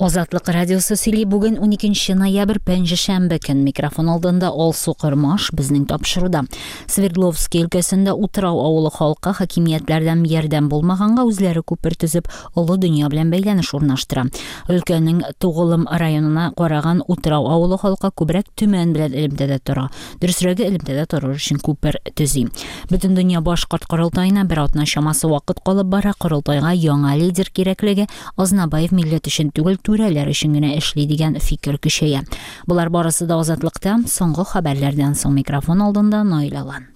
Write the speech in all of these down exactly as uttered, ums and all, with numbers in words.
Азатлык радиосы сөйли. Бүген уникенче ноябрь, пәнҗешәмбе көн. Микрофон алдында Алсу Кормаш. Безнең тапшыруда: Свердловский өлкәсендә Утрау авылы халкы хакимиятләрдән ярдәм булмаганга үзләре күпер төзеп, олы дөнья белән бәйләнеш урнаштыра. Өлкәнең Тугылым районына караган Утрау авылы халкы күбрәк Төмән белән элемтәдә тора. Дөресрәге, элемтәдә торыр өчен күпер төзи. Бөтендөнья башкорт корылтаена бер атна чамасы вакыт калып бара. Корылтайга яңа лидер кирәклеге, Азнабаев милләт өчен түгел, түрәләр өчен генә эшли дигән фикер көчәя. Болар барысы да Азатлыкта соңгы хәбәрләрдән соң. Микрофон алдында Наил Алан.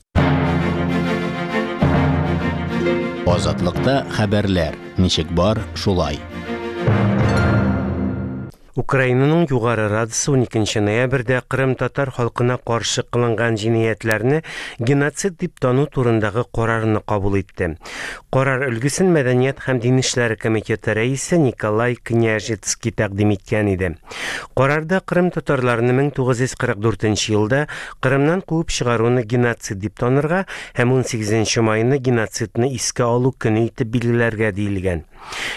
Азатлыкта хәбәрләр ничек бар, шулай. Украинаның Югары Радасы уникенче ноябрьдә Кырым татар халкына каршы кылынган җинаятьләрне геноцид дип тану турындагы карарны кабул итте. Карар өлгесен Мәдәният һәм дин эшләре комитеты рәисе Николай Княжицкий тәкъдим иткән иде. Карарда Кырым татарларны мең тугыз йөз кырык дүртенче елда Кырымнан куып чыгаруны геноцид дип танырга һәм унсигезенче майны геноцидны искә алу көне итеп билгеләргә диелгән.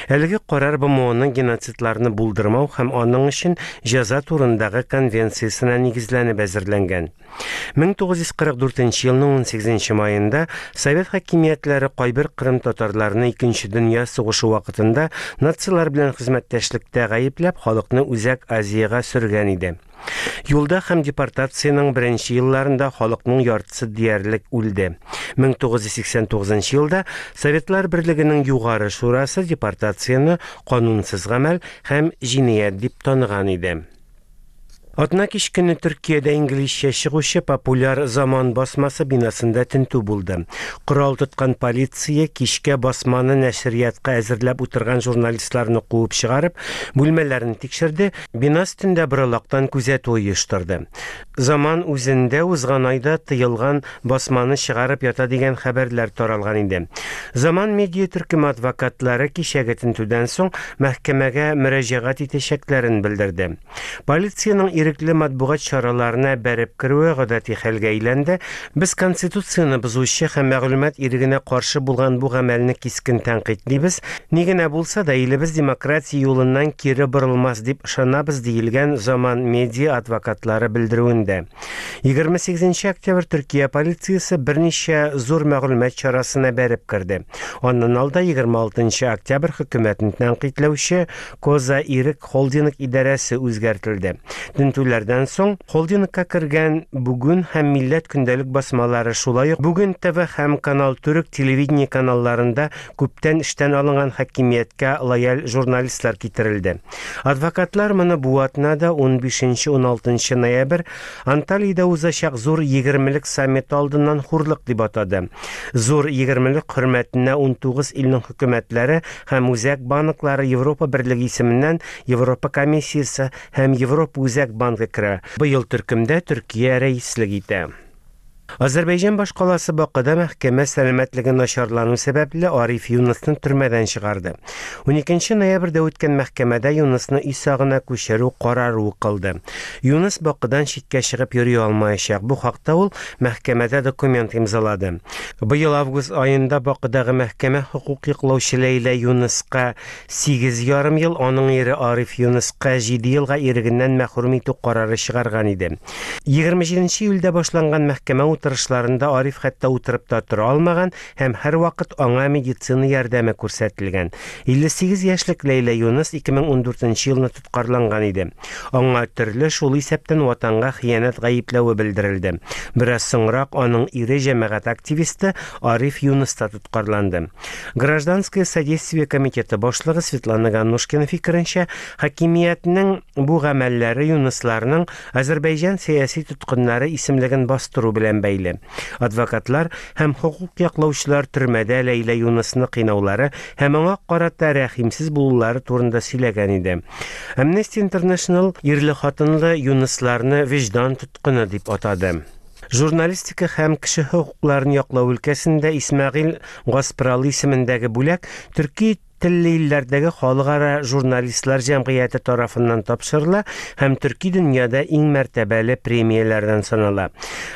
Әлеге карар Б М Оның геноцидларны булдырмау һәм аның өчен җәза турындагы конвенциясенә нигезләнеп әзерләнгән. Мең тугыз йөз кырык дүртенче елның унсигезенче майында Совет хакимиятләре кайбер Кырым татарларны Икенче дөнья сугышы вакытында нацилар белән хезмәттәшлектә гаепләп халыкны Үзәк Азиягә сөргән иде. Юлда һәм депортациянең беренче елларында халыкның яртысы диярлек үлде. Мең тугыз йөз сиксән тугызынчы елда Советлар Берлегенең Югары Шурасы депортацияне канунсыз гамәл һәм җинаять дип таныган иде. Атна кич көне Төркиядә инглизчә чыгучы популяр Заман басмасы бинасында тентү булды. Корал тоткан полиция кичкә басманы нәшриятка әзерләп утырган журналистларны куып чыгарып, бүлмәләрен тикшерде, бина өстендә боралактан күзәтү оештырды. Заман үзендә узган айда тыелган басманы чыгарып ята дигән хәбәрләр таралган иде. Заман медиа төркеме адвокатлары кичәге тентүдән соң мәхкәмәгә мөрәҗәгать итәчәкләрен белдерде. Полициянең ирекле матбугат чараларына бәреп керүе гадәти хәлгә әйләнде. Без конституцияне бозучы һәм мәгълүмат ирегенә каршы булган бу гамәлне кискен тәнкыйтьлибез. Ни генә булса да, илебез демократия юлыннан кире борылмас дип ышанабыз, диелгән Заман медиа адвокатлары белдерүендә. Егерме сигезенче октябрь Төркия полициясе берничә зур мәгълүмат чарасына бәреп керде. Аннан алда егерме алтынчы октябрь хөкүмәтен тәнкыйтьләүче Коза Ирек холдинг идарәсе үзгәртелде. Тентүләрдән соң холдингка кергән Бүген һәм Милләт көндәлек басмалары, шулай ук Бүген Т В һәм Канал Төрек телевидение каналларында күптән эштән алынган хакимияткә лояль журналистлар китерелде. Адвокатлар моны бу атнада унбишенче, уналтынчы ноябрь Анталиядә узачак зур егермелек саммиты алдыннан хурлык дип атады. Зур егермелек хөрмәтенә унтугыз илнең хөкүмәтләре һәм үзәк банклары Европа Берлеге исеменнән Европа комиссиясе һәм Европа Үзәк банкы керә. Быел төркемдә Төркия рәислек итә. Азәрбайҗан башкаласы Бакыда мәхкәмә сәламәтлеге начарлану сәбәпле Ариф Юнысны төрмәдән чыгарды. Уникенче ноябрьдә үткән мәхкәмәдә Юнысны өй сагына күчерү карары укылды. Юныс Бакыдан читкә чыгып йөри алмаячак. Бу хакта ул мәхкәмәдә документ имзалады. Быел август аенда Бакыдагы мәхкәмә хокук яклаучы Ләйлә Юныска сигез ярым ел, аның ире Ариф Юныска җиде елга ирегеннән мәхрүм итү карары чыгарган иде. Егерме җиденче июльдә башланган мәхкәмә утырышларында Ариф хәтта утырып та тора алмаган һәм һәр вакыт аңа медицина ярдәме күрсәтелгән. Илле сигез яшьлек Ләйлә Юныс ике мең ундүртенче елны тоткарланган иде. Аңа төрле, шул исәптән ватанга хыянәт гаепләве белдерелде. Бераз соңрак аның ире җәмәгать активисты Ариф Юныс та тоткарланды. Гражданское содействие комитеты башлыгы Светлана Ганнушкина фикеренчә, хакимиятнең бу гамәлләре Юнысларның Азәрбайҗан сәяси тоткыннары исемлеген бастыру белән бәйле. Адвокатлар һәм хокук яклаучылар төрмәдә Ләйлә Юнысны кыйнаулары һәм аңа карата рәхимсез булулары турында сөйләгән иде. Amnesty International ирле-хатынлы Юнысларны вөҗдан тоткыны дип атады. Журналистика һәм кеше хокукларын яклау өлкәсендә Исмәгыйль Гаспралы исемендәге бүләк Төрки телле илләрдәге халыкара журналистлар җәмгыяте тарафыннан тапшырыла һәм төрки дөньяда иң мәртәбәле премияләрдән санала.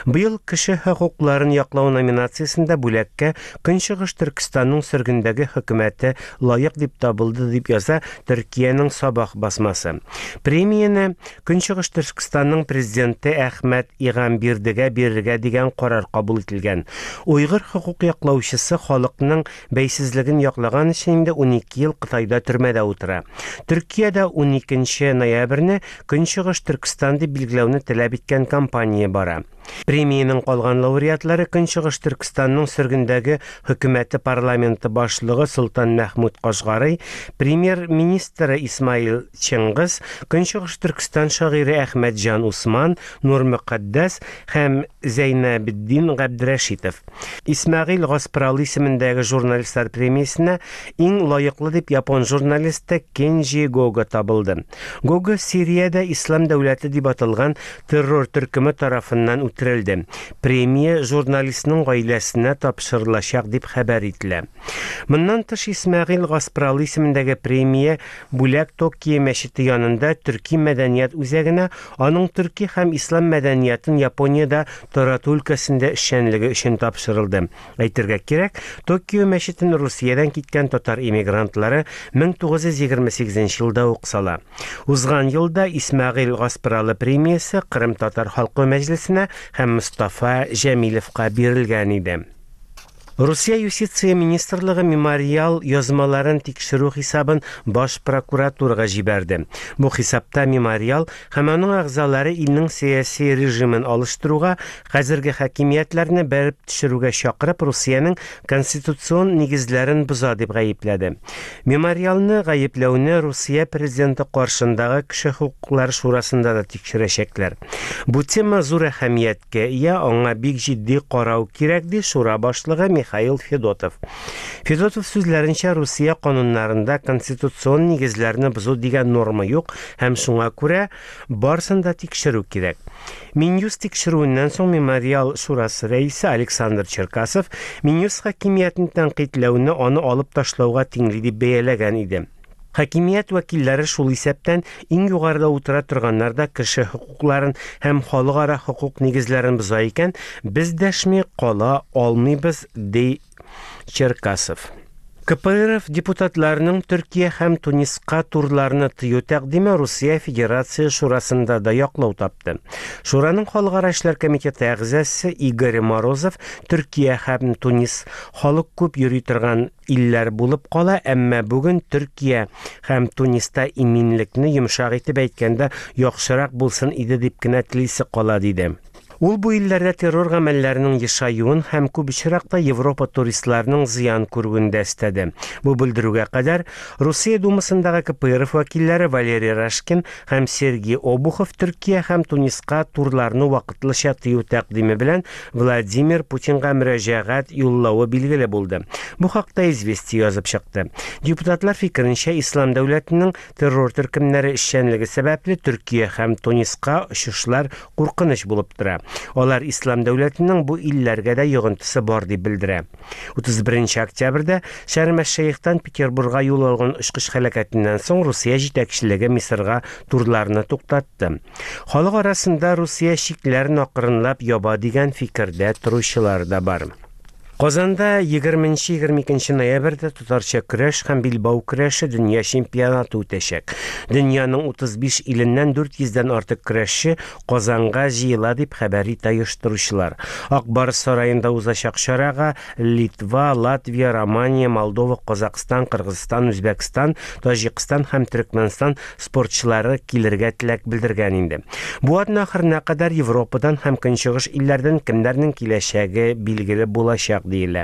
Быел кеше хокукларын яклау номинациясендә бүләккә Көнчыгыш Төркестанның сөргендәге хөкүмәте лаек дип табылды, дип яза Төркиянең Сабах басмасы. Премияне Көнчыгыш Төркестанның президенты Әхмәт Игамбирдегә бирергә дигән карар кабул ителгән. Уйгыр хокук яклаучысы халыкның бәйсезлеген яклаган өчен инде унике ел Кытайда төрмәдә утыра. Төркиядә уникенче ноябрьне Көнчыгыш Төркестан дип билгеләүне таләп иткән кампания бара. Премиянең калган лауреатлары Көнчыгыш Төркестанның сөргендәге хөкүмәте парламенты башлыгы Солтан Мәхмүт Кашгарый, премьер-министры Исмаил Чыңгыз, Көнчыгыш Төркестан шагыйре Әхмәтҗан Усман, Нур Мөкаддәс һәм Зәйнәбетдин Габдрәшитов. Исмәгыйль Гаспралы исемендәге журналистлар премиясенә иң лаеклы дип япон журналисты Кенҗи Гога табылды. Гога Сириядә Ислам дәүләте дип аталган террор төркеме тарафыннан үтерелде. Премия журналистның гаиләсенә тапшырылачак дип хәбәр ителә. Моннан тыш Исмәгыйль Гаспралы исемендәге премия бүләк Токио мәчете янында Төрки мәдәният үзәгенә аның төрки һәм ислам мәдәниятын Япониядә тарату өлкәсендә эшчәнлеге өчен тапшырылды. Әйтергә кирәк, Токио мәчетен Русиядән киткән татар иммигрантлары мең тугыз йөз егерме сигезенче елда ук сала. Узган елда Исмәгыйль Гаспралы премиясе Кырым татар халкы мәҗлесенә һәм Мустафа Җәмилевка бирелгән иде. Русия юстиция министрлыгы мемориал язмаларын тикшерү хисабын баш прокуратурага җибәрде. Бу хисапта мемориал һәм аның әгъзалары илнең сәяси режимын алыштыруга, хәзерге хакимиятләрне бәреп төшерүгә чакырып, Русиянең конституцион нигезләрен боза дип гаепләде. Мемориалны гаепләүне Русия президенты каршындагы кеше хокуклары шурасында да тикшерәчәкләр. Бу тема зур әһәмияткә ия, аңа бик җитди карау кирәк, ди шура башлыгы Михаил Федотов. Федотов сүзләренчә, Русия кануннарында конституцион нигезләрне бозу дигән норма юк һәм шуңа күрә барысын да тикшерү кирәк. Минюст тикшерүеннән соң Мемориал шурасы рәисе Александр Черкасов Минюст хакимиятен тәнкыйтьләүне аны алып ташлауга тиңли дип бәяләгән иде. Хакимият вәкилләре шул исәптән иң югарыда утыра торганнар да кеше хокукларын һәм халыкара хокук нигезләрен боза икән, без дәшми кала алмыйбыз, ди Черкасов. К П Р Ф депутатларының Төркия һәм Туниска турларны тыю тәкъдиме Русия Федерация Шурасында да яклау тапты. Шураның халыкара эшләр комитеты әгъзасы Игорь Морозов Төркия һәм Тунис халык күп йөри торган илләр булып кала, әмма бүген Төркия һәм Туниста иминлекне йомшак итеп әйткәндә яхшырак булсын иде дип кенә телисе кала, диде. Ул бу илләрдә террор гамәлләренең ешаюын һәм күп очракта Европа туристларының зыян күрүен дә өстәде. Бу белдерүгә кадәр Русия Думасындагы К П Р Ф вәкилләре Валерий Рашкин һәм Сергей Обухов Төркия һәм Туниска турларны вакытлыча тыю тәкъдиме белән Владимир Путинга мөрәҗәгать юллавы билгеле булды. Бу хакта Известия язып чыкты. Депутатлар фикеренчә, Ислам дәүләтенең террор төркемнәре эшчәнлеге сәбәпле Төркия һәм Туниска очышлар куркыныч булып тора. Алар Ислам дәүләтенең бу илләргә дә йогынтысы бар дип белдерә. Утыз беренче октябрьдә Шәрм-әш-Шейхтан Петербургка юл алган очкыч һәлакәтеннән соң Русия җитәкчелеге Мисырга турларны туктатты. Халык арасында Русия чикләрен акрынлап яба дигән фикердә торучылар да бар. Казанда егерменче-егерме икенче ноябрьдә татарча көрәш һәм билбау көрәше дөнья чемпионаты үтәчәк. Дөньяның утыз биш иленнән дүрт йөздән артык көрәшче Казанга җыела дип хәбәр итә оештыручылар. Ак Барс сараенда узачак чарага Литва, Латвия, Романия, Молдова, Казахстан, Кыргызстан, Үзбәкстан, Таҗикстан һәм Төркмәнстан спортчылары килергә теләк белдергән инде. Бу атна ахырына кадәр Европадан һәм Көнчыгыш илләрдән кемнәрнең киләчәге билгеле булачак диелә.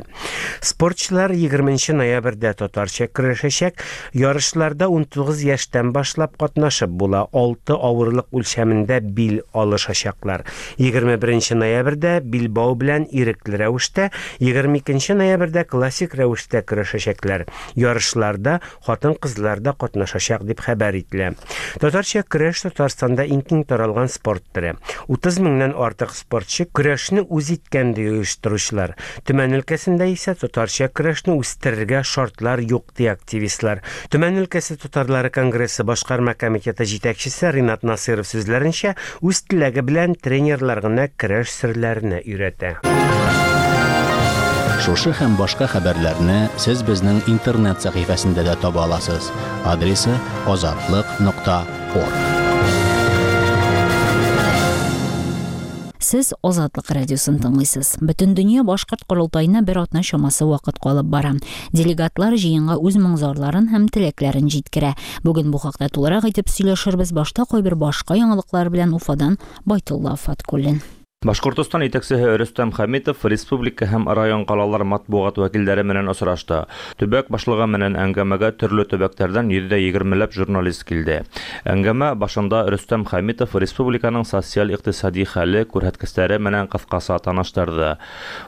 Спортчылар егерменче ноябрьдә татарча көрәшәчәк. Ярышларда унтугыз яшьтән башлап катнашып була. Алты авырлык үлчәмендә бил алышачаклар. Егерме беренче ноябрьдә билбау белән ирекле рәвештә, егерме икенче ноябрьдә классик рәвештә көрәшәчәкләр. Ярышларда хатын-кызлар да катнашачак дип хәбәр ителә. Татарча көрәш Татарстанда иң киң таралган спорт төре. Утыз меңнән артык спортчы көрәшне үз иткән ди оештыручылар. Төмән Төмән өлкәсендә исә татарча көрәшне үстерергә шартлар юк, ди активистлар. Төмән өлкәсе татарлары конгрессы башкарма комитеты җитәкчесе Ринат Насыров сүзләренчә, үз теләге белән тренерлар гына көрәш серләренә өйрәтә. Шушы һәм башка хәбәрләрне сез безнең интернет сәхифәсендә дә таба аласыз. Адресы азатлык нокта орг. Сез Азатлык радиосын тыңлыйсыз. Бөтен дөнья башкорт корылтаена бер атна чамасы вакыт калып бара. Делегатлар җыенга үз моң-зарларын һәм теләкләрен җиткерә. Бүген бу хакта тулырак итеп сөйләшербез. Башта кайбер башка яңалыклар белән Уфадан Байтулла Фаткуллин. Башкортостан итәкчеһе Рөстәм Хәмитов республика һәм район ҡалалар матбуғат вәкилдәре менән осрашты. Төбәк башлығы менән әңгәмәгә төрлө төбәктәрҙән йөҙҙә егермеләп журналист килде. Әңгәмә башында Рөстәм Хәмитов республиканың социаль-иҡтисади хәле күрһәткестәре менән ҡыҫҡаса таныштырҙы.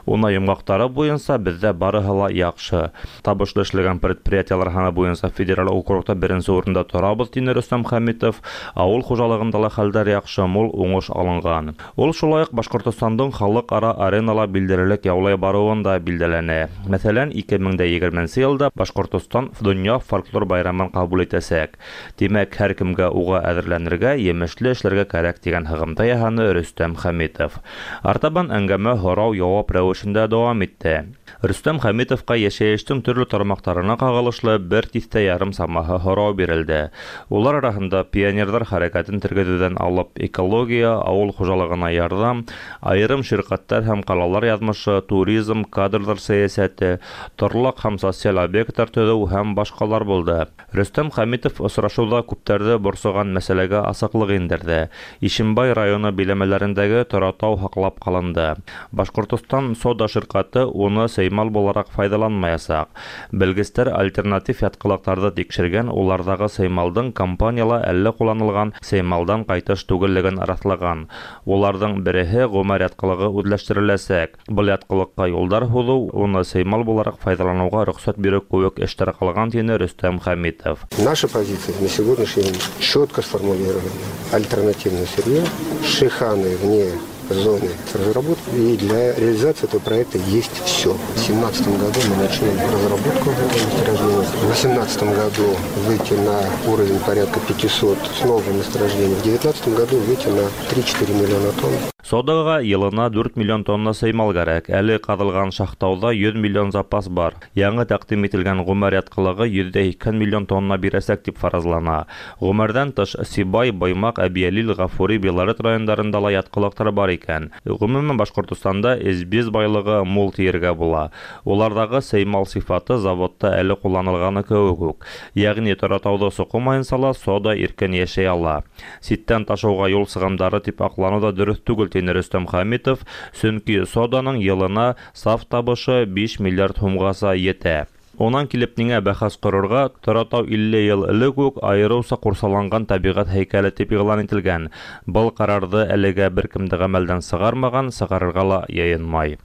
Уны йомғаҡтары буйынса беҙҙә барыһы ла яҡшы. Табышлы эшләгән предприятиелар һаны буйынса федераль округта беренсе урында торабыҙ, тине Рөстәм Хәмитов. Ауыл хужалығында ла хәлдәр яҡшы, мул уңыш алынған. Ул шулай уҡ Башҡортостандың халыҡ-ара аренала билдәлелек яулай барыуын да билдәләне. Мәҫәлән, ике мең дә егерменсе йылда Башҡортостан донъя фольклор байрамын ҡабул итәсәк. Тимәк, һәр кемгә уға әҙерләнергә, емешле эшләргә кәрәк тигән һығымта яһаны Рөстәм Хәмитов. Артабан әңгәмә һорау-яуап рәүешендә дауам итте. Рөстәм Хәмитовҡа йәшәйештең төрлө тармаҡтарына ҡағылышлы бер тиҫтә ярым самаһы һорау бирелде. Улар араһында пионерҙар хәрәкәтен тергеҙеүҙән алып экология, ауыл хужалығына ярҙам, айырым ширкәттәр һәм ҡалалар яҙмышы, туризм, кадрҙар сәйәсәте, торлаҡ һәм социаль объекттар төҙөү һәм башҡалар булды. Рөстәм Хәмитов осрашыуҙа күптәрҙе борсоған мәсьәләгә асыҡлыҡ индерҙе. Ишембай районы биләмәләрендәге Торатау һаҡлап ҡалынды. Башҡортостан сода ширкәте уны сеймал булараҡ файҙаланмаясаҡ. Белгестәр альтернатив ятҡылыҡтарҙы тикшергән, уларҙағы сеймалдың компанияла әллә ҡулланылған сеймалдан ҡайтыш түгеллеген раҫлаған. Уларҙың береһе Ғүмәр ятҡылығы үҙләштереләсәк. Был ятҡылыҡҡа юлдар һуҙыу, уны сеймал булараҡ файҙаланыуға рөхсәт биреү кеүек эштәр ҡалған, тине Рөстәм Хәмитов. Наша позиция на сегодняшний день четко сформулирована. Альтернативное сырье, шиханы вне зоны разработки, и для реализации этого проекта есть все. В две тысячи семнадцатом году мы начнем разработку этого месторождения. В две тысячи восемнадцатом году выйти на уровень порядка пятисот с новым месторождением. В две тысячи девятнадцатом году выйти на три-четыре миллиона тонн. Содаға йылына дүрт миллион тонна сеймал кәрәк. Әле ҡаҙылған Шахтауҙа йөҙ миллион запас бар. Яңы тәҡдим ителгән Ғүмәр ятҡылығы йөҙҙә һикһән миллион тонна бирәсәк тип фаразлана. Ғүмәрҙән тыш Сибай, Баймаҡ, Әбйәлил, Ғафури, Белорет райондарында ла ятҡылыҡтар бар икән. Ғөмүмән, Башҡортостанда эсбиз байлығы мул тиергә була. Уларҙағы сеймал сифаты заводта әле ҡулланылғаны кеүек үк. Йәғни Торатауҙы соҡомайынса ла сода иркен йәшәй ала. Ситтән ташыуға юл сығымдары тип аҡланыу ҙа дөрөҫ түгел, тине Рөстәм Хәмитов, сөнки соданың йылына саф табышы биш миллиард һумғаса етә. Унан килеп ниңә бәхәс ҡорорға, Торатау илле йыл элек үк айырыуса ҡурсаланған тәбиғәт һәйкәле тип иғлан ителгән. Был ҡарарҙы әлегә бер кем дә ғәмәлдән сығармаған, сығарырға ла йыйынмай.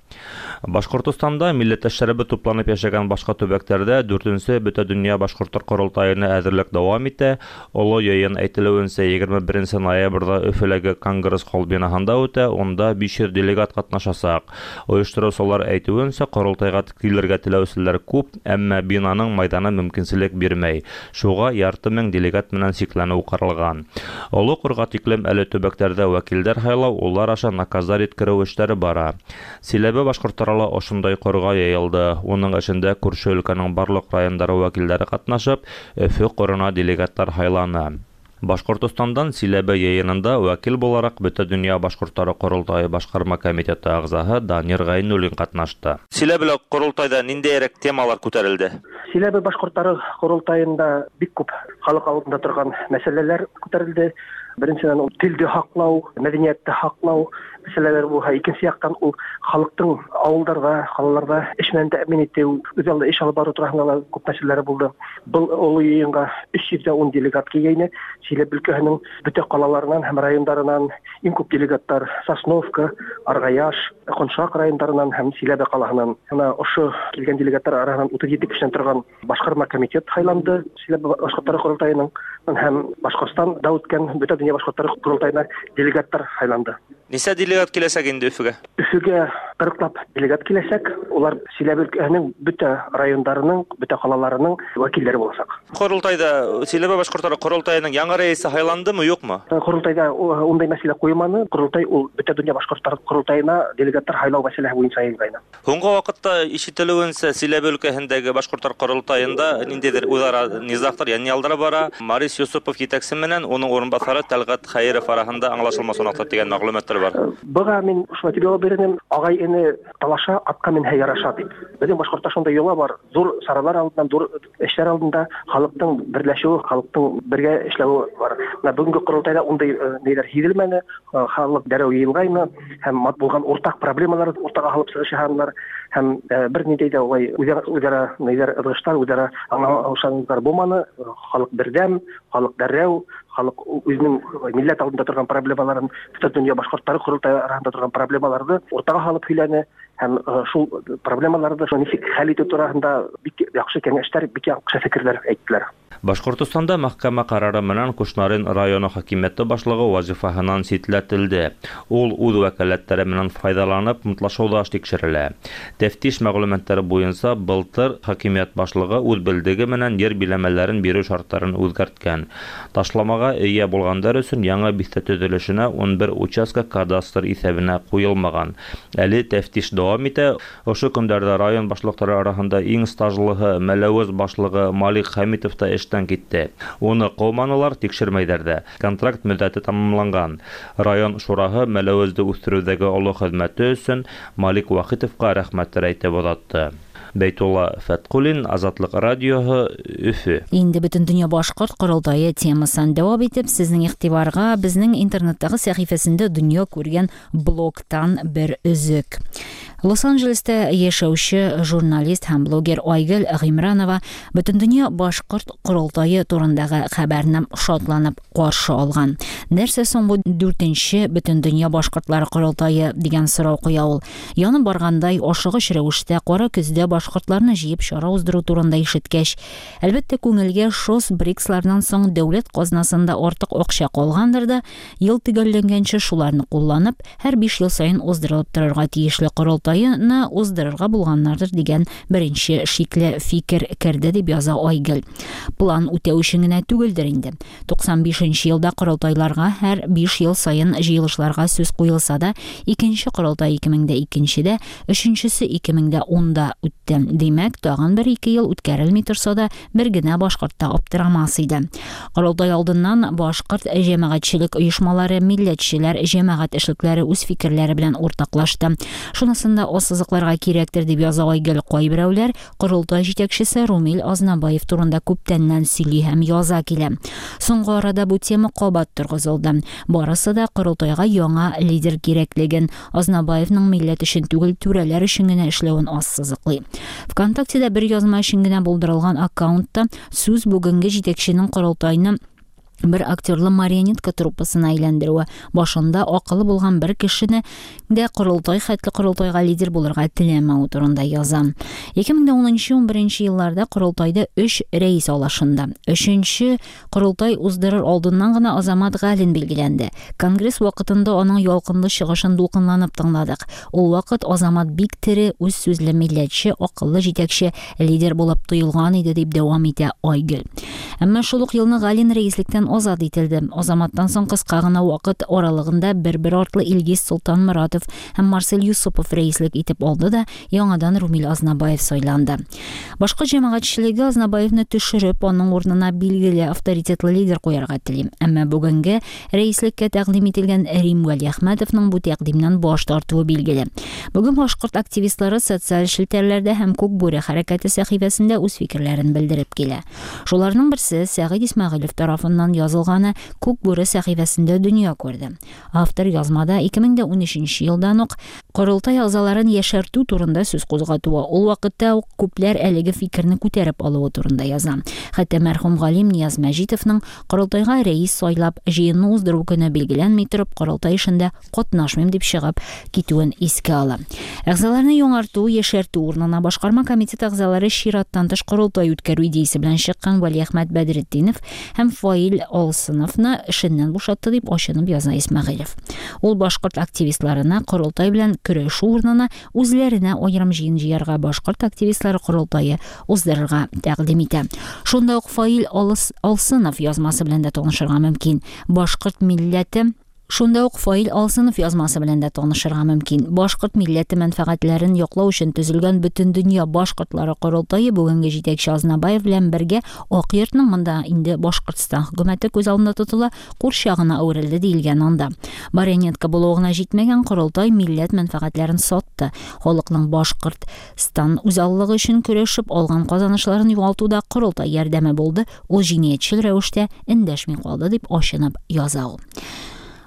Башҡортостанда милләттәштәребеҙ тупланып йәшәгән башҡа төбәктәрҙә дүртенсе Бөтә донъя башҡорттар ҡоролтайына әҙерлек дауам итә. Оло йыйын әйтелеүенсә егерме беренсе ноябрҙә Өфөләге Конгресс холл бинаһында үтә, унда биш йөҙ делегат ҡатнашасаҡ. Ойоштороусылар әйтеүенсә, ҡоролтайға килергә теләүселәр күп, әммә бинаның майҙаны мөмкинселек бирмәй. Шуға ярты мең делегат менән сикләнеү ҡаралған. Оло ҡорға тиклем әле төбәктәрҙә вәкилдәр һайлау, улар аша наказдар еткереү эштәре бара. Силәбе башҡорттары ла ошондай ҡорға йыйылды. Уның эшендә күрше өлкәнең барлыҡ райондары вәкилдәре ҡатнашып, Өфө ҡорона делегаттар һайланы. Башҡортостандан Силәбе йыйынында вәкил булараҡ Бөтә донъя башҡорттары ҡоролтайы башҡарма комитеты ағзаһы Данир Ғәйнуллин ҡатнашты. Силәбелә ҡоролтайҙа ниндәйерәк темалар күтәрелде? Силәбе башҡорттары ҡоролтайында бик күп халыҡ алдында торған мәсьәләләр күтәрелде. Беренсенән, ул телде һаҡлау, мәҙәниәтте һаҡлау мәсьәләләре булһа, икенсе яҡтан ул халыҡтың ауылдарҙа, ҡалаларҙа эш менән тәьмин итеү, үҙ алды эш алып барыу тураһында ла күп мәсьәләләре булды. Был оло йыйынға өс йөҙ ун делегат килгәйне. Силәбе өлкәһенең бөтә ҡалаларынан һәм райондарынан иң күп делегаттар Сосновка, Арғаяш, Ҡоншаҡ райондарынан һәм Силәбе ҡалаһынан. Бына ошо килгән делегаттар араһынан утыҙ ете кешенән торған башҡарма комитет һайланды Силәбе башҡорттары ҡоролтайының һәм Башҡортостанда үткән Бөтә донъя башҡорттары ҡоролтайына делегаттар һайланды. Нисә делегат киләсәк инде Өфөгә? Өфөгә Кырыклап делегат киләчәк. Улар Силәбе өлкәһенең бөтә райондарының, бөтә ҡалаларының вәкилдәре буласаҡ. Ҡоролтайҙа Силәбе башҡорттары ҡоролтайының яңы рәйесе һайландымы, юҡмы? Ҡоролтайҙа ундай мәсьәлә ҡуйманы. Ҡоролтай ул бөтә донъя башҡорттары ҡоролтайына делегаттар һайлау мәсьәләһе буйынса йыйылғайны. Һуңғы ваҡытта ишетелеүенсә, Силәбе өлкәһендәге башҡорттар ҡоролтайында ниндәйҙер үҙ-ара низағтар, йәнйалдар бара. Марис Юсупов етәксе менән уның урынбаҫары Тәлғәт Хәйеров араһында аңлашылмаусанлыҡтар тигән мәғлүмәттәр бар. Быға мин шулай тип яуап бирҙем: ағай эне талаша, атҡа менһә яраша тип. Беҙҙең башҡортта шундай йола бар. Ҙур саралар алдынан, ҙур эштәр алдында халыҡтың берләшеүе, халыҡтың бергә эшләүе бар. Менә бөгөнгө ҡоролтайҙа ундай ниҙәр һиҙелмәне. Халыҡ дәррәү йыйылғайны һәм булған уртаҡ проблемалар уртаға һалып сығыш яһанылар һәм бер ниндәй ҙә улай үҙ-ара ниҙәр ыҙғыштар, үҙ-ара аңлашыусанлыҡтар булманы. Халыҡ берҙәм, халыҡ дәррәү, халыҡ үҙенең милләт алдында торған проблемаларын, бөтә донъя башҡорттары ҡоролтайы араһында торған проблемаларҙы уртаға һалып һөйләне һәм шул проблемаларҙы нисек хәл итеү тураһында бик яҡшы кәңәштәр, бик яҡшы фекерҙәр әйттеләр. Башҡортостанда мәхкәмә ҡарары менән Кушнарин районы хакимиәте башлығы вазифаһынан ситләтелде. Ул үҙ вәкәләттәре менән файҙаланып мутлашыуҙа тикшерелә. Тәфтиш мәғлүмәттәре буйынса былтыр хакимиәт башлығы үҙ белдеге менән ер биләмәләрен биреү шарттарын үҙгәрткән. Ташламаға эйә булғандар өсөн яңы биҫтә төҙөлөшөнә ун бер участка кадастр иҫәбенә ҡуйылмаған. Әле тәфтиш дауам итә. Ошо көндәрҙә район башлыҡтары араһында иң стажлыһы Мәләүез башлығы Малик Хәмитов та эштән китте. Уны ҡыуманылар, тикшермәйҙәр ҙә. Контракт мөҙҙәте тамамланған. Район шураһы Мәләүезде үҫтереүҙәге оло хеҙмәте өсөн Малик Вахитовҡа рәхмәттәр әйтеп оҙатты. Бәйтулла Фәтҡуллин, Азатлыҡ радиоһы, Өфө. Инде бөтен донъя башҡорт ҡоролтайы темасын дауам итеп, сезнең иғтибарға безнең интернеттағы сәхифәсендә донъя күргән блогтан бер өзек. Лос-Анджелеста яшәүче журналист һәм блогер Айгөл Ғимранова бөтен донъя башҡорт ҡоролтайы турындағы хәбәрне шатланып ҡаршы алған. Нәрсә соң бу дүртенче бөтен донъя башҡортлары ҡоролтайы дигән сорау ҡуя ул. Янып барғандай ашығыш рәүештә ҡара көҙҙә башҡортларны җыйып чара уздыру турында ишеткәч, әлбәттә, күңелгә ШОС БРИКСлардан соң дәүләт казнасында артык акча калгандыр да, ел төгәлләнгәнче шуларны кулланып, һәр биш ел саен уздырылып торырга тиешле корылтайны уздырырга булганнардыр дигән беренче шикле фикер керде дип яза Айгөл. План үтәү өчен генә түгелдер инде. туксан бишенче елда корылтайларга һәр биш ел саен җыелышларга сүз куелса да, икенче корылтай ике мең дә икенчедә, өченчесе ике мең дә унда үтте. Димәк, тагын бер ике ел үткәрелми торса да, бер генә башҡортта аптырамас иде. Корылтай алдыннан башҡорт җәмәгатьчелек оешмалары, милләтчеләр, җәмәгать эшлекләре үз фикерләре белән уртаклашты. Шунысын да ассызыкларга кирәктер дип яза Айгөл. Кайберәүләр корылтай җитәкчесе Румил Азнабаев турында күптәннән сөйли һәм яза килә. Соңгы арада бу тема кабат торгызылды. Барысы да корылтайга яңа лидер кирәклеген, Азнабаевның милләт өчен түгел, түрәләр өчен генә эшләвен ассызыклый. ВКонтактеда бер язма өчен генә булдырылган аккаунтта сүз бүгенге җитәкченең корылтайны бер актерлы марионетка труппасына әйләндерүе, башында акылы булган бер кешене дә корылтай хәтле корылтайга лидер булырга теләмәүе турында яза. ике мең дә унынчы ун беренче елларда корылтайда өч рәис алышынды. Өченче корылтай уздырыр алдыннан гына Азамат Галин билгеләнде. Конгресс вакытында аның ялкынлы чыгышын дулкынланып тыңладык. Ул вакыт Азамат бик тере, үз сүзле милләтче, акыллы җитәкче, лидер булып тоелган иде дип дәвам итә Айгөл. Әмма шул ук елны Галин рәислектән азат ителде. Азаматтан соң кыска гына вакыт аралыгында бер-бер артлы Илгиз Солтанмуратов һәм Марсель Юсупов рәислек итеп алды да, яңадан Румил Азнабаев сайланды. Башка җәмәгатьчелеге Азнабаевны төшереп, аның урынына билгеле авторитетлы лидер куярга тели. Әмма бүгенге рәислеккә тәкъдим ителгән Рим Вәлиәхмәтовның бу тәкъдимнән баш тартуы билгеле. Бүген башкорт активистлары социаль челтәрләрдә һәм Күк бүре хәрәкәте сәхифәсендә үз фикерләрен белдереп килә. Шуларның берсе Сәгыйть Исмәгыйлев тарафыннан язылганы Күк бүре сәхифәсендә дөнья күрде. Автор язмада ике мең дә унөченче елдан ук корылтай әгъзаларын яшәртү турында сүз кузгатуы, ул вакытта ук күпләр әлеге фикерне күтәреп алуы турында яза. Хәтта мәрхүм галим Нияз Мәҗитовның корылтайга рәис сайлап җыенны уздыру көне билгеләнми торып корылтай эшендә катнашмыйм дип чыгып китүен искә ала. Әгъзаларны яңарту, яшәртү урынына башкарма комитет әгъзалары чираттан тыш корылтай үткәрү идеясе белән чыккан Вәлиәхмәт Бәдретдинов һәм Фаил Алсыновны эшеннән бушатты дип ачынып яза Исмәгыйлев. Ул башкорт активистларына корылтай белән көрәшү урынына үзләренә аерым җыен җыярга башкорт активистлары корылтае уздырырга тәкъдим итә. Шунда ук Фаил Алсынов язмасы белән дә танышырга мөмкин. Башкорт милләте Шунда ук Фаил Алсынов язмасы белән дә танышырга мөмкин. Башкорт милләте мәнфәгатьләрен яклау өчен төзелгән Бөтендөнья башкортлары корылтае бүгенге җитәкче Азнабаев белән бергә Ак йортның монда инде Башкортстан хөкүмәте күз алдында тотыла, курчагына әверелде диелгән анда. Марионетка булуы гына җитмәгән, корылтай милләт мәнфәгатьләрен сатты. Халыкның Башкортстан үзаллыгы өчен көрәшеп алган казанышларын югалтуда корылтай ярдәме булды. Ул җинаятьчел рәвештә эндәшми калды дип ачынып яза ул.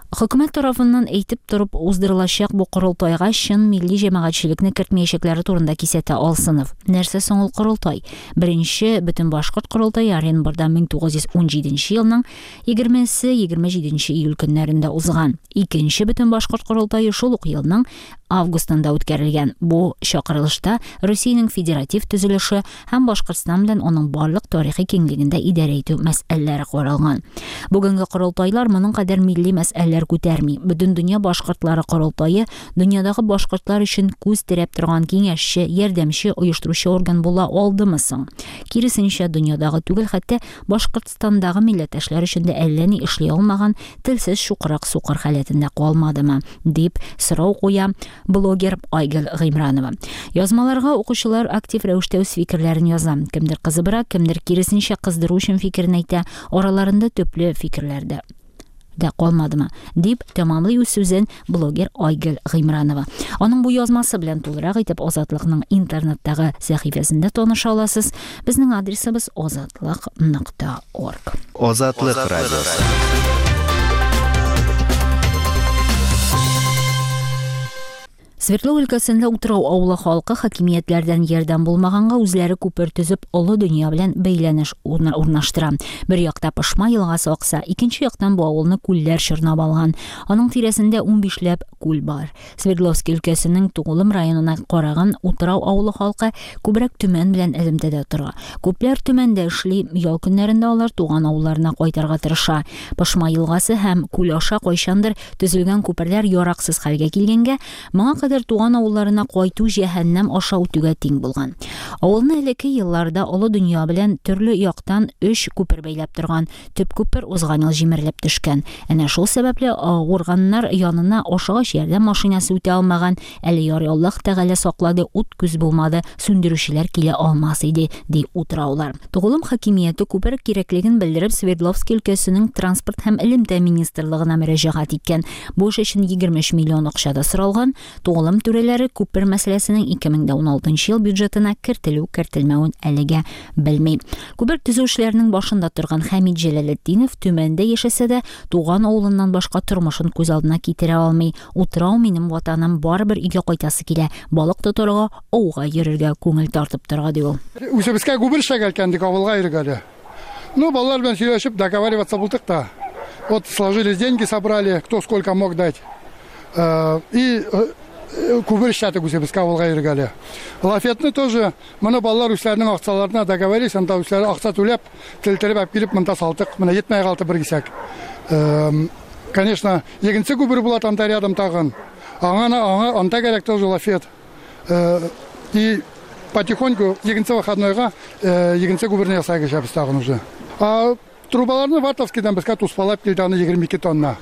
Хөкүмәт тарафыннан әйтеп торып уздырылачак бу корылтайга чын милли җәмәгатьчелекне кертмәячәкләре турында кисәтә Алсынов. Нәрсә соң ул корылтай? Беренче бөтен башкорт корылтае Оренбургда мең тугыз йөз ун җиденче елның егермесе егерме җиденче июль көннәрендә узган. Икенче бөтен башкорт корылтае шул ук елның августында үткәрелгән. Бу чакырылышта Русиянең федератив төзелеше һәм Башкортстан белән аның барлык тарихи киңлегендә идарә итү мәсьәләләре каралган. Бүгенге корылтайлар моның кадәр милли мәсьәләләр күтәрми. Бөтен дөнья башкортлары корылтае дөньядагы башкортлар өчен күз терәп торган киңәшче, ярдәмче, оештыручы орган була алдымы соң? Киресенчә, дөньядагы түгел, хәтта Башкортстандагы милләттәшләр өчен дә әллә ни эшли алмаган телсез чукрак сукыр халәтендә калмадымы дип сорау куя блогер Айгөл Гыймранова. Язмаларга укучылар актив рәвештә үз фикерләрен яза. Кемдер кызыбрак, кемдер киресенчә кыздыру өчен фикерен әйтә. Араларында төпле фикерләр дә дә калмадымы дип тәмамлый үз сүзен блогер Айгөл Гыймранова. Аның бу язмасы белән тулырак итеп Азатлыкның интернеттагы сәхифәсендә таныша аласыз. Безнең адресыбыз азатлык нокта орг. Азатлык радиосы. Свердлов өлкәсендә Утрау авылы халкы хакимиятләрдән ярдәм булмаганга үзләре күпер төзеп олы дөнья белән бәйләнеш урнаштыра. Бер якта Пышма елгасы акса, икенче яктан бу авылны күлләр чорнап алган. Аның тирәсендә унбишләп күл бар. Свердловский өлкәсенең Тугулым районына караган Утрау авылы халкы күбрәк Төмән белән элемтәдә тора. Күпләр Төмәндә эшли, ял көннәрендә алар туган авылларына кайтырга тырыша. Пышма елгасы һәм күл аша кайчандыр төзелгән күперләр яраксыз хәлгә килгәнгә, моңа кадәр туган авылларына кайту җәһәннәм аша үтүгә тиң булган. Авылны элекке елларда олы дөнья белән төрле яктан өч күпер бәйләп торган. Төп күпер узган ел җимерелеп төшкән. Әнә шул сәбәпле авырганнар янына ашыгыч ярдәм машинасы үтә алмаган. Әле ярый Аллаһ Тәгалә саклады, ут күз булмады, сүндерүчеләр килә алмас иде, ди утраулар. Тугулым хакимияте күпер кирәклеген белдереп Свердловский өлкәсенең транспорт һәм элемтә министрлыгына мөрәҗәгать иткән. Бу эш өчен егерме өч миллион акча да соралган. Тугулым түрәләре күпер мәсьәләсенең ике мең ун алтынчы ел бюджетына кертелү-кертелмәвен әлегә белми. Күпер төзү эшләренең башында торган Хәмид Җәләлетдинов Төмәндә яшәсә дә, туган авылыннан башка тормышын күз алдына китерә алмый. Утрау минем ватаным, барыбер өйгә кайтасы килә. Балык тотарга, ауга йөрергә күңел тартып тора, ди ул. Үзебезгә күпер эшләгән авылга йөргәле. Ну, балалар белән сөйләшеп, договариваться булдык та. Вот сложились деньги, собрали, кто сколько мог дать. И күпер эшләдек үзебезгә авылга йөргәле. Лафетны тоже моны балалар үзләренең акчаларына договорились, анда үзләре акча түләп, телтереп алып килеп монда салдык. Менә җитмәй калды бер кисәк. Конечно, икенче күпер була анда рядом тагын. Аңа аңа анда кирәк тоже лафет. И потихоньку икенче выходнойга икенче күперне ясай кешәбез тагын уже. А трубаларны Вартовскийдан безгә туспалап килде, аны егерме ике тонна.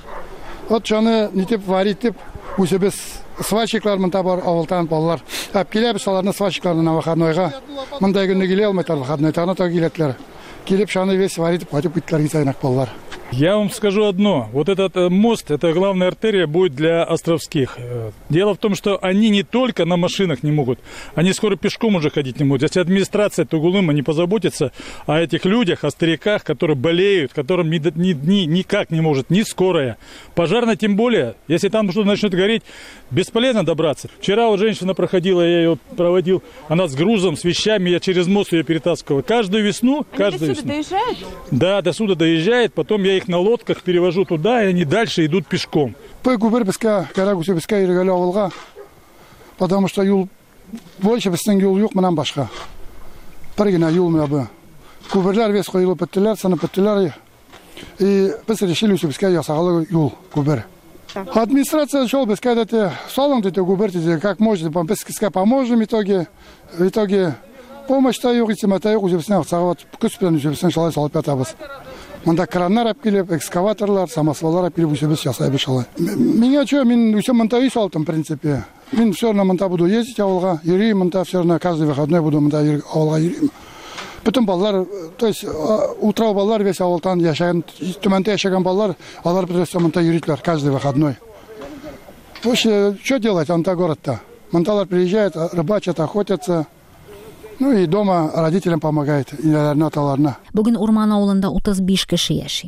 Вот шуны нитеп варить дип үзебез сварщиклар монда бар, авылдан балалар. Алып киләбез аларны сварщикларны на выходнойга. Монда көнне килә алмыйлар, выходной тагын та киләтләр. Килеп шуны весь варить итеп кайтып киттеләр кисәгенәк балалар. Я вам скажу одно. Вот этот мост, это главная артерия будет для островских. Дело в том, что они не только на машинах не могут, они скоро пешком уже ходить не могут. Если администрация Тугулыма не позаботится о этих людях, о стариках, которые болеют, которым ни, ни, ни, никак не может, ни скорая. Пожарная тем более, если там что-то начнет гореть, бесполезно добраться. Вчера вот женщина проходила, я ее проводил, она с грузом, с вещами, я через мост ее перетаскивал. Каждую весну... Они каждую до сюда весну. Доезжают? Да, до сюда доезжает, потом я их на лодках перевожу туда, и они дальше идут пешком. Потому что юл больше безнең юл юк моннан башка. Бер генә юл менә бу. Күперләр весь коелып беттеләр, сынып беттеләр. И без решили үзебезгә ясагалы юл күпер. Администрация шул безгә әйтте, салың диде күпер диде, как можно, без сезгә поможем в итоге. В итоге помощь та юк, исеме та юк, үзебезнең акчага көч белән үзебезнең шулай салып ятабыз. Монда краннар алып килеп, экскаваторлар, самосваллар алып килеп үзебез ясайбыз шулай. Миңа чё, мин үзем монда өй салдым, в принципе. Мин все равно монда буду ездить авылга, йөрим монда, все равно каждый выходной буду монда авылга йөрим. Бөтен балалар, то есть утрау балалар весь авылдан яшәгән, Төмәндә яшәгән балалар, алар бөтенесе монда йөриләр каждый выходной. Вообще, что делать анда городта? Монда приезжают, рыбачат, охотятся. Ну и дома родителям помогает, инәләренә, аталарына. Бүген Урман авылында утыз биш кеше яши.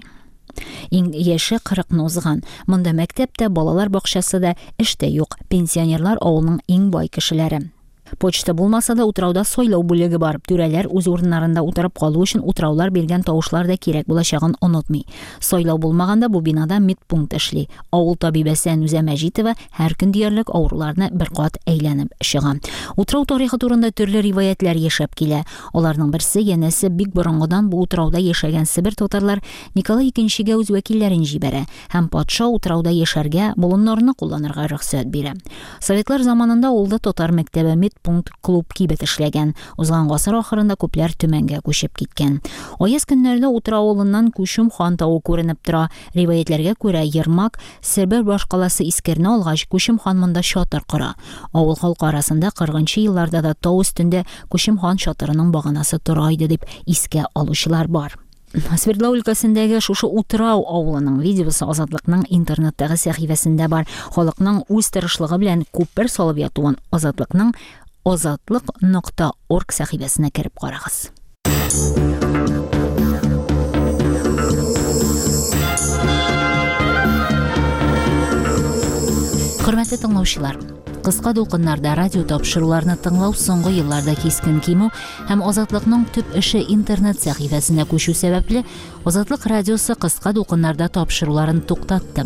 Иң яше кырыкны узган. Монда мәктәптә, балалар бакчасы да, эш тә юк. Пенсионерлар авылның иң бай кешеләре. Почта булмаса да утрауда сайлау бүлеге бар. Түрәләр үз урыннарында утырып калу өчен утраулар биргән тавышлар да кирәк булачагын онытмый. Сайлау булмаганда бу бинада медпункт эшли. Авыл табибәсе Әнүзә Мәҗитова һәр көн диярлек авыруларны бер кат әйләнеп чыга. Утрау тарихы турында төрле риваятлар яшәп килә. Аларның берсе янәсе бик борынгыдан бу утрауда яшәгән Себер татарлар Николай икенчегә үз вәкилләрен җибәрә һәм патша утрауда яшәргә, болыннарны кулланырга рөхсәт бирә. Советлар заманында авылда татар мәктәбе, мед пункт, клуб кибет эшләгән. Узган гасыр ахырында күпләр Төмәнгә күчеп киткән. Аяз көннәрдә Утрау авылыннан Күчем хан тавы күренеп тора. Риваятләргә күрә, Ермак Себер башкаласы Искерне алгач, Күчем хан монда чатыр кора. Авыл халкы арасында кырыгынчы елларда да тау өстендә Күчем хан чатырының баганасы тора иде дип искә алучылар бар. Свердлау өлкәсендәге шушы Утрау авылының видеосы Азатлыкның интернеттагы сәхифәсендә бар. Халыкның үз тырышлыгы белән күпер салып ятуын Азатлыкның азатлык нокта орг сәхифәсенә кереп карагыз. Хөрмәтле тыңлаучылар, кыска дулкыннарда радио тапшыруларны тыңлау соңгы елларда кискен кимү һәм Азатлыкның төп эше интернет сәхифәсенә күчү сәбәпле, Азатлык радиосы кыска дулкыннарда тапшыруларын туктатты.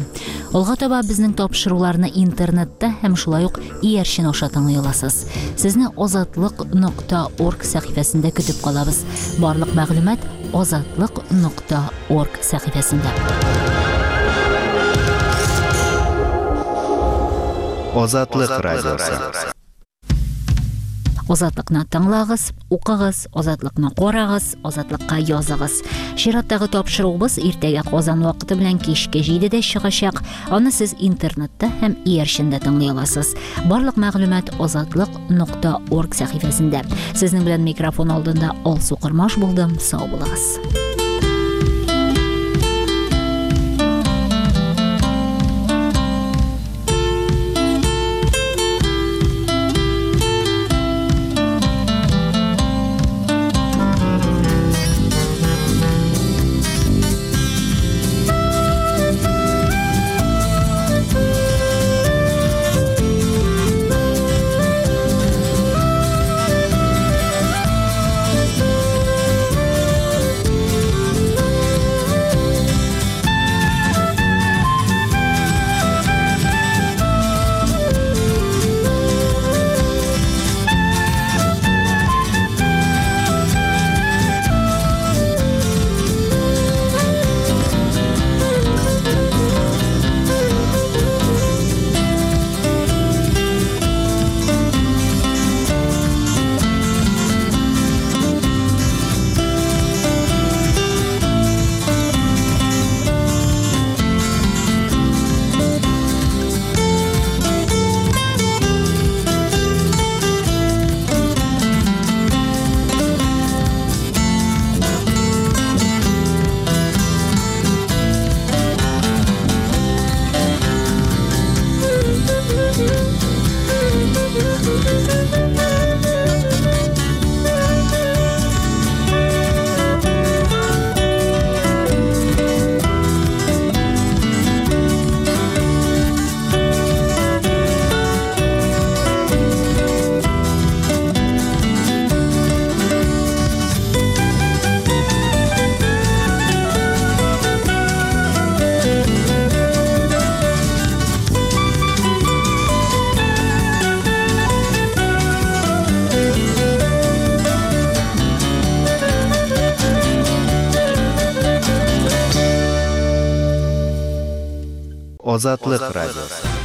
Алга таба безнең тапшыруларны интернетта һәм шулай ук иярчен аша тыңлый аласыз. Сезне азатлык нокта орг сәхифәсендә көтеп калабыз. Барлык мәгълүмат азатлык нокта орг сәхифәсендә. Азатлык радиосы. Азатлыкны тыңлагыз, укыгыз, Азатлыкны карагыз, Азатлыкка языгыз. Чираттагы тапшыруыбыз иртәгә Казан вакыты белән кичке җидедә чыгачак. Аны сез интернетта һәм иярчендә тыңлый аласыз. Барлык мәгълүмат азатлык нокта орг сәхифәсендә. Сезнең белән микрофон алдында Алсу Кырмаш булдым. Сау булыгыз. We'll be right back. Азатлык радиосы.